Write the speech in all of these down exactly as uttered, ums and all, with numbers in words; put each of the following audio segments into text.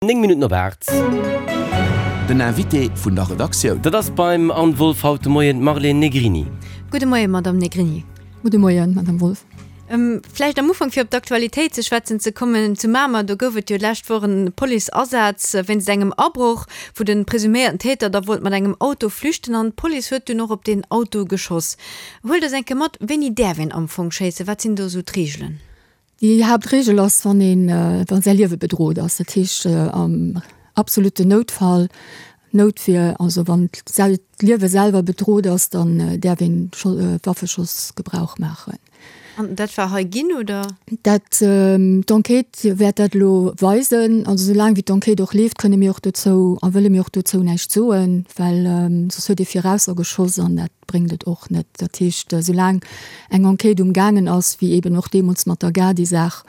Néng Minutten op aacht. Den Invité vun der Redaktioun. Dat ass beim Anne Wolff haut de Moien d'Marlène Negrini. Gudde Moien, Madamm Negrini. Gudde Moien, Madamm Wolff. Vläicht am Ufank, fir op d'Aktualitéit ze schwätzen ze kommen, Zu Mamer, do gouf et jo d'lescht Woch en Policeasaz wéinst engem Abroch, wou de presuméierten Täter da wollt mat engem Auto flüchten an d'Police huet dunn och op deen Auto geschoss. Huelt eis eng Kéier mat, Wéini däerf een am Fong schéissen? Wat sinn do esou d'Reegelen? Déi Haaptreegel ass, wann een, wa säi Liewe bedrot ass, dat heescht am absolutten Noutfall, Noutwier, also wann d'Liewe selwer bedrot ass, dann däerf een Waffeschoss Gebrauch maachen. An dat war hei ginn, oder? Dat, d'Enquête wäert dat elo weisen. Also soulaang wéi d'Enquête och leeft, kënne mir och dozou a wëlle mir och dozou näischt soen, well soss huet ee viraussergeschoss an dat bréngt et och net. Dat heescht, soulaang eng Enquête um gaangen ass, wéi eeben och deemools mat der Gadi-Saach,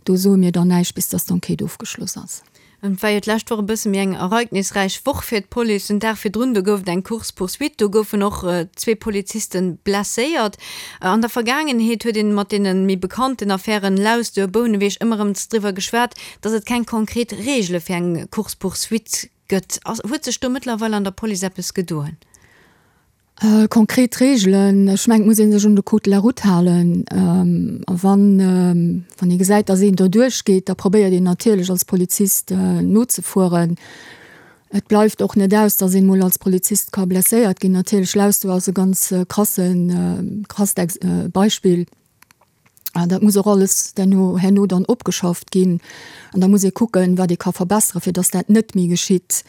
do soe mir dann näischt, bis dass d'Enquête ofgeschloss ass. Et war jo d'lescht Woch e bësse méi eng ereignisräich Woch fir d'Police. Den Dag virdrun, do gouf et eng Course-poursuite, do goufen och zwee Poliziste blesséiert. An der Vergaangenheet huet een mat deene méi bekannten Affären Lausduer, Bouneweg ëmmer erëm driwwer geschwat, dass et keng konkret Reegele fir eng Course-poursuite gëtt. Huet sech do mëttlerweil an der Police eppes gedoen? Konkret Reegelen, ech mengen, et muss ee sech un de Code de la route halen. A wann, wann ee gesäit, datt een doduerch geet, da probéiert een natierlech als Polizist nozefueren. Et bleift och net aus, datt een emol als Polizist ka blesséiert ginn. Natierlech, Lausduer ass e ganz krassen, krasst Beispill. An dat muss och alles derno, herno dann opgeschafft ginn. An da muss ee kucken, wat ee ka verbesseren, fir datt dat net méi geschitt.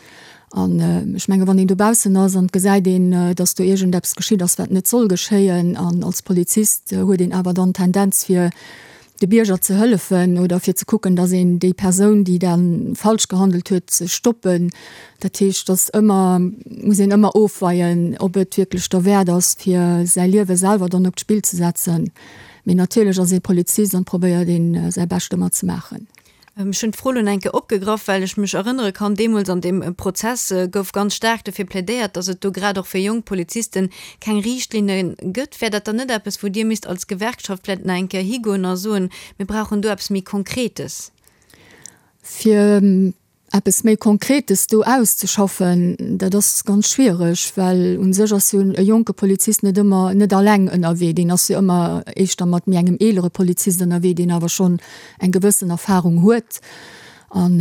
An ech menge wann een dobaussen ass an et gesäit een, datt do iergendeppes geschitt ass, wat net soll geschéien, an als Polizist huet een awer dann d'Tendenz fir de Bierger ze hëllefen oder fir ze kucken, datt een déi Persoun, déi da falsch gehandelt huet, ze stoppen. Dat heescht, datt ëmmer, muss een ëmmer ofweien, ob et wierklech derwäert ass, fir säi Liewe selwer dann op d'Spill ze setzen. Mee natierlech ass ee Polizist an probéiert een säi Bescht ëmmer ze maachen. Ech hunn d'Fro lo enke opgegraff, well ech mech erënnere kann, deemools an deem Prozess gouf ganz staark dofir plädéiert, datt et do grad och fir jonk Polizisten keng Riichtlinne gëtt. Wär dat dann net eppes, wou Dir misst als Gewerkschaft vläicht nach eng Kéier higoen a soen, mir brauchen do eppes méi Konkretes? Fir eppes méi Konkretes do auszeschaffen, dat ass ganz schwiereg, well u sech ass jo e jonke Polizist net ëmmer, net alleng ënnerwee, deen ass jo ëmmer éischter mat méi engem eelere Polizist ënnerwee, deen awer schonn eng gewëssen Erfahrung huet. An,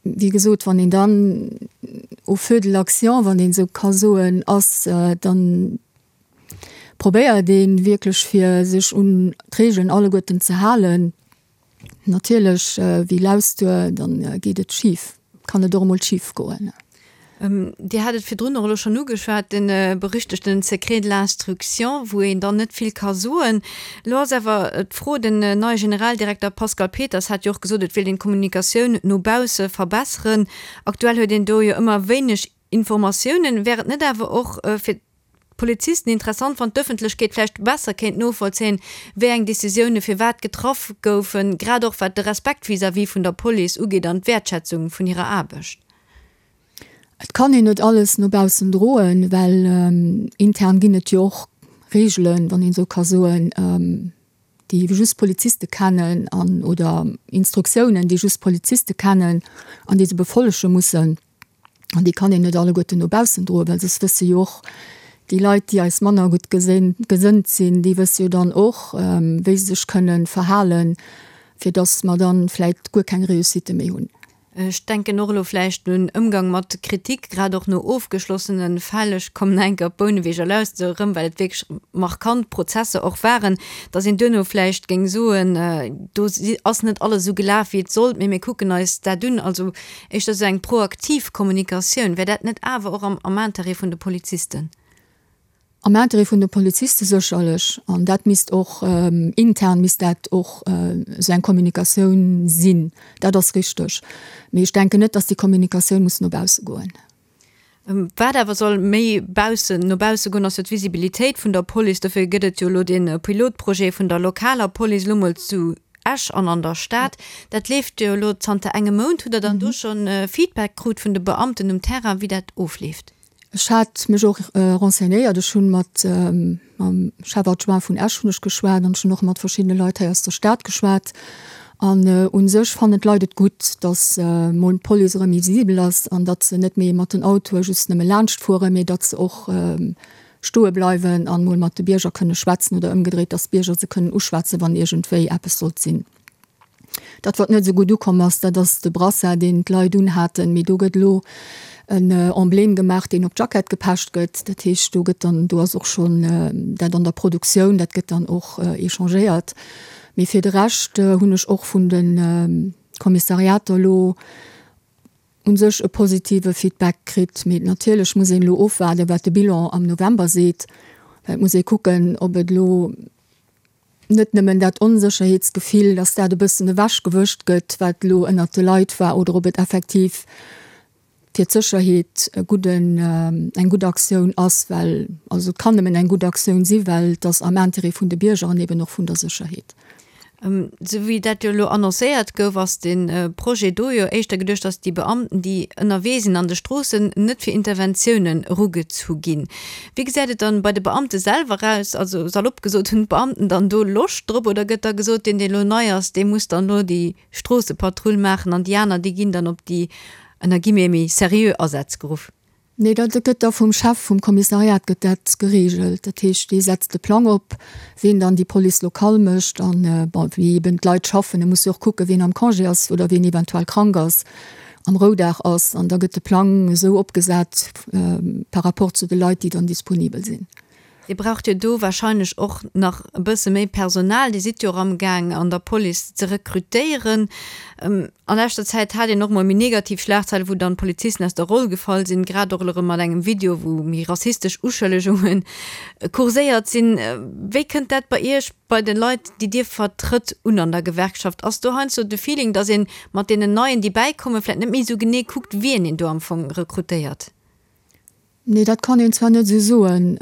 wéi gesot, wann een dann au feu de l'action, wann een esou ka soen, ass, dann probéiert ee wierklech fir sech un d'Regeln alleguerten ze halen. Natierlech, wéi Lausduer, dann geet et schif, kann et och emol schif goen. Dir hat et virdrun och elo schonn ugeschwat, de berüchtegten Secret de l'instruction, wou een dann net vill ka soen. Elo ass awer d'Fro, den neie Generaldirekter Pascal Peters hat jo och gesot, et wéilt een d'Kommunikatioun no bausse verbesseren. Aktuell huet een do jo ëmmer wéineg Informatiounen. Wär et net awer och fir d'Polizisten interessant, wann d'Ëffentlechkeet vläicht besser kéint novollzéien, wéi eng Decisioune firwat getraff goufen, grad och wat de Respekt vis-à-vis vun der Police ugeet an d'Wäertschätzung vun hirer Aarbecht? Et kann een net alles no baussen droen, well intern ginn et jo och Reegelen, wann een esou ka soen, déi just Poliziste kennen an oder Instruktiounen, déi just Poliziste kennen an déi se befollege mussen. An déi kann een net alleguerten no baussen droen, well soss wësse jo och déi Leit, déi eis manner gutt gesënnt sinn, déi wësse jo dann och, wéi se sech kënnen verhalen, fir dass mer dann vläicht guer keng Réussite méi hunn. Ech denken och elo vläicht un Ëmgang mat Kritik, grad och no ofgeschlossene Fäll, ech kommen nach eng Kéier op Bouneweg a Lausduer erëm, well et wierklech markant Prozesser och waren, dass een duerno vläicht géing soen, do ass net alles esou gelaf, wéi et sollt, mee mir kucken eis dat un. Also éischter esou eng proaktiv Kommunikatioun, wär dat net awer och am Intérêt vun de Polizisten? Am Interêt vun de Poliziste sécherlech. An dat misst och, intern misst dat och esou eng Kommunikatioun sinn. Dat ass richteg. Mee ech denken net, datt déi Kommunikatioun muss no bausse goen. Wat awer soll méi baussen, no bausse goen, ass jo d'Visibilitéit vun der Police. Dofir gëtt et jo elo dee Pilotprojet vun der lokaler Police, elo mol zu Esch an an der Stad. Dat leeft jo elo zanter engem Mount. Hutt Der dann do schonn Feedback krut vun de Beamten um Terrain, wéi dat ofleeft? Ech hat mech och renseignéiert. Ech hunn mat mam Chef adjoint vun Esch hunn ech geschwat an ech hunn och mat verschiddene Leit hei aus der Stad geschwat. An u sech fannen d'Leit et gutt, datt mol d'Police erëm méi visibel ass an datt se net méi mat den Autoe just nëmme laanscht fueren, mee datt se och stoe bleiwen an mol mat de Bierger kënne schwätzen oder ëmgedréit, datt d'Bierger se kënnen uschwätzen, wann iergendwéi eppes sollt sinn. Dat, wat net esou gutt ukomm ass, dat ass de Brassard, deen d'Leit unhaten. Mee do gëtt elo en Emblème gemaach, deen op d'Jackett gepecht gëtt. Dat heescht, do gëtt dann, do ass och schonn dat an der Produktioun, dat gëtt dann och échangéiert. Mee fir de Rescht hunn ech och vun de Kommissariater elo u sech e positive Feedback kritt. Mee natierlech muss een elo ofwaarden, wat de Bilan am November seet, well et muss ee kucken, ob et elo net nëmmen dat Onsécherheetsgefill, dass dat e bëssen ewechgewëscht gëtt, wat elo ënnert de Leit war, oder ob et effektiv fir d'Sécherheet e gudden, eng gutt Aktioun ass, well, also et kann nëmmen eng gutt Aktioun si well et ass am Intérêt vun de Bierger an eben och vun der Sécherheet. Esou wéi dat jo elo annoncéiert gouf, ass de Projet do jo éischter geduecht, datt déi Beamten, déi ënnerwee sinn an de Stroossen, net fir Interventiounen erugezu ginn. Wéi gesäit et dann bei de Beamte selwer aus? Also salopp gesot, hunn d'Beamten dann do Loscht drop oder gëtt da gesot, deen, dee elo nei ass, dee muss dann elo déi Stroossepatrull maachen an déi aner, déi ginn dann op déi, ënner Guillemets, méi seriö Asätz geruff? Nee, dat gëtt da vum Chef vum Kommissariat gëtt dat geregelt. Dat heescht, dee setzt de Plang op, ween dann déi Police locale mécht an, bon, wéi eben d'Leit schaffen. E muss jo och kucken, ween am Congé ass oder ween eventuell krank ass, am Roudag ass. An da gëtt de Plang esou opgesat par rapport zu de Leit, déi dann disponibel sinn. Dir braucht jo do wahrscheinlech och nach e bësse méi Personal. Dir sidd jo och amgaang an der Police ze rekrutéieren. An leschter Zäit hat een och mol méi negativ Schlagzeile wou dann Polizisten aus der Roll gefall sinn, grad och elo erëm mat engem Video wou méi rassistesch Uschëllegunge kurséiert sinn. Wéi kënnt dat bei Iech, bei de Leit déi Dir vertrëtt, un an der Gewerkschaft? Ass do heiansdo de Feeling, datt ee mat deenen Neien déi bäikommen, vläicht net méi esou genee kuckt wien een do am Fong rekrutéiert? Nee, dat kann een zwar net esou soen.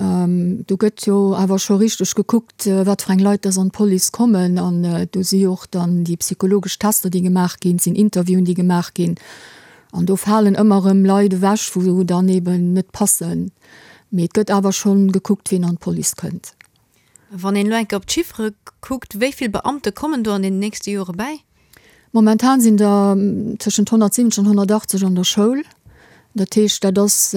Do gëtt jo awer scho richteg gekuckt, wat fir eng Leit dass an d'Police kommen. An do si jo och dann déi psychologesch Tester, déi gemaach ginn, et sinn Interviewen, déi gemaach ginn. An do falen ëmmer erëm Leit ewech, wou dann eeben net passen. Mee et gëtt awer schonn gekuckt, wien an d'Police kënnt. Wann een elo eng Kéier op d'Chiffere kuckt, wéi vill Beamte kommen do an den nächste Jore bäi? Momentan sinn der tëschent honnertsiwwenzeg an honnertachtzeg an der Schoul. Dat heescht, dat ass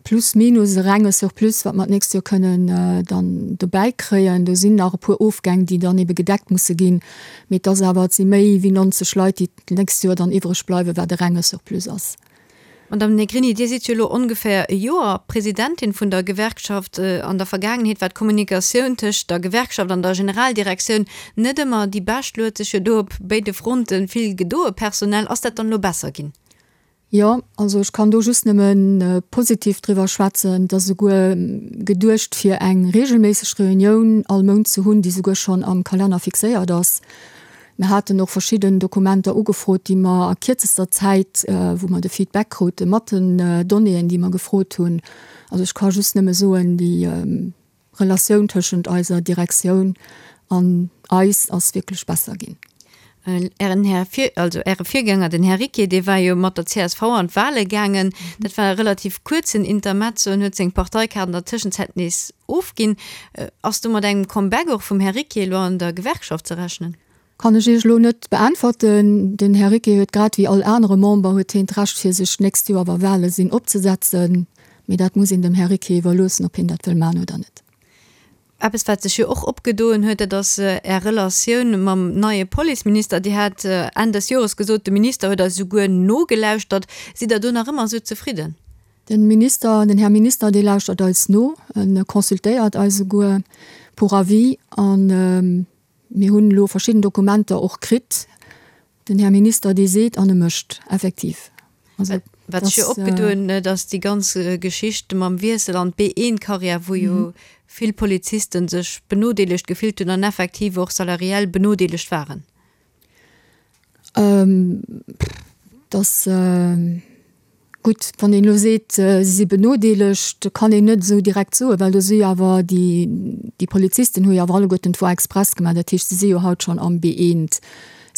plus minus e renge Surplus, wat mer d'nächst Joer kënnen dann dobäi kréien. Do sinn nach e puer Ofgäng, déi dann ebe gedeckt musse ginn. Mee et ass awer, et si méi wéi nonzeg Leit, déi d'nächst Joer dann iwwreg bleiwen, wat e renge Surplus ass. Madame Negrini, Dir sidd jo elo ongeféier e Joer Presidentin vun der Gewerkschaft. An der Vergaangenheet war d'Kommunikatioun tëscht der Gewerkschaft an der Generaldirektioun net ëmmer déi bescht. Elo huet sech jo do op béide Fronte vill gedoe personell. Ass dat dann elo besser ginn? Jo, also ech kann do just nëmme positiv driwwer schwätzen. Et ass esouguer geduecht, fir eng regelméisseg Reunioun all Mount ze hunn, déi esouguer schonn am Kalenner fixéiert ass. Mir haten och verschidden Dokumenter ugefrot, déi mer a kierzester Zäit, wou mer de Feedback krute mat den Donnéeën, déi mer gefrot hunn. Also ech ka just nëmme soen, déi Relatioun tëschent eiser Direktioun an eis ass wierklech besser ginn. Ären Här Vir, also Äre Virgänger, den Här Ricquier, dee war jo mat der csv an d'Wahle gaangen. Dat war e relativ kuerzen Intermezzo. En huet seng Parteikaart an der Tëschenzäit nees ofginn. Ass do mat engem Comeback och vum Här Ricquier elo an der Gewerkschaft ze rechnen? Kann ech Iech elo net beäntwerten. Den Här Ricquier huet grad wéi all anere Member huet hien d'Recht fir sech d'nächst Joer, wa Wahle sinn, opzesetzen. Mee dat muss een dem Här Ricquier iwwerloossen, ob hien dat wëll maachen oder net. Eppes, wat sech jo och opgedoen huet, dat ass Är Relatioun mam neie Policeminister. Dir hat Enn des Jores gesot, de Minister huet eis esouguer nogelauschtert. Sidd Der do nach ëmmer esou zefridden? De Minister, den Här Minister, dee lauschtert eis no, e consultéiert eis esouguer pour avis. A mir hunn elo verschidden Dokumenter och kritt. Den Här Minister, dee seet an e mécht effektiv. Also, Wat sech jo opgedoen huet, ass déi ganz Geschicht mam Wiessel an d'B eent-Karriär, wou jo vill Polizisten sech benodeelegt gefillt hunn an effektiv och salariell benodeelegt waren. Dass, gutt, wann een elo seet, si si benodeelegt, kann een net esou direkt soen, well do si jo awer déi, déi Polizisten hu jo awer alleguerten d'Voie express gemaach. Dat heescht, si si jo haut schonn am B eent.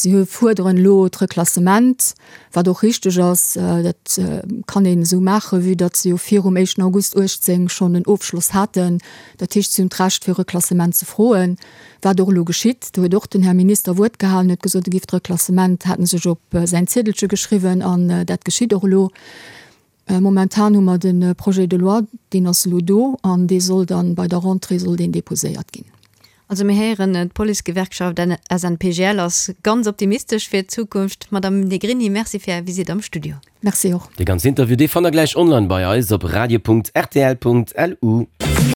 Si fuerderen elo d'Reklassement, wat och richteg ass. Dat kann een esou maachen, vue datt se jo virum éischten August uechtzéng schonn en Ofschloss haten. Dat heescht, si hunn d'Recht fir Reklassement ze froen, wat och elo geschitt. Do huet och den Här Minister Wuert gehalen, huet gesot, e giff d'Reklassement, hat en sech op säin Ziedelche geschriwwen an dat geschitt och elo. Momentan hu mer de Projet de loi, deen ass elo do an dee soll dann bei der Rentrée soll deen déposéiert ginn. Also mir héieren, d'Policegewerkschaft S N P G L ass ganz optimistesch fir d'Zukunft. Madame Negrini, Merci fir Är Visitt am Studio. Merci och. Dee ganzen Interview, dee fannt der gläich online bei eis op radio Punkt R T L Punkt L U.